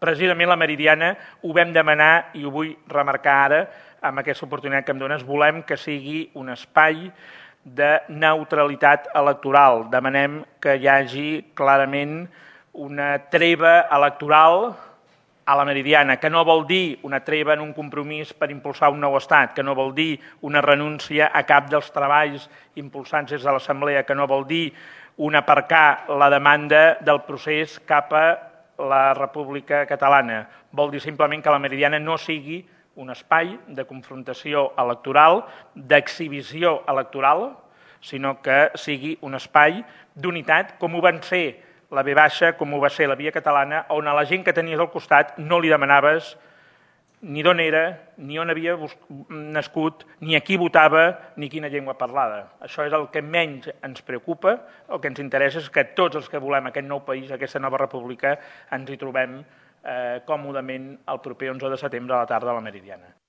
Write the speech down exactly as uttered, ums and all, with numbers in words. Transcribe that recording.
precisament la Meridiana ho vam demanar i ho vull remarcar ara amb aquesta oportunitat que em dones. Volem que sigui un espai de neutralitat electoral. Demanem que hi hagi clarament una treva electoral a la Meridiana, que no vol dir una treva en un compromís per impulsar un nou estat, que no vol dir una renúncia a cap dels treballs impulsats des de l'Assemblea, que no vol dir un aparcar la demanda del procés cap a la República Catalana. Vol dir simplement que la Meridiana no sigui un espai de confrontació electoral, d'exhibició electoral, sinó que sigui un espai d'unitat, com ho van ser la ve baixa, com ho va ser la Via Catalana, on a la gent que tenies al costat no li demanaves ni d'on era, ni on havia nascut, ni a qui votava, ni quina llengua parlava. Això és el que menys ens preocupa. El que ens interessa és que tots els que volem aquest nou país, aquesta nova república, ens hi trobem còmodament el proper onze de setembre a la tarda a la Meridiana.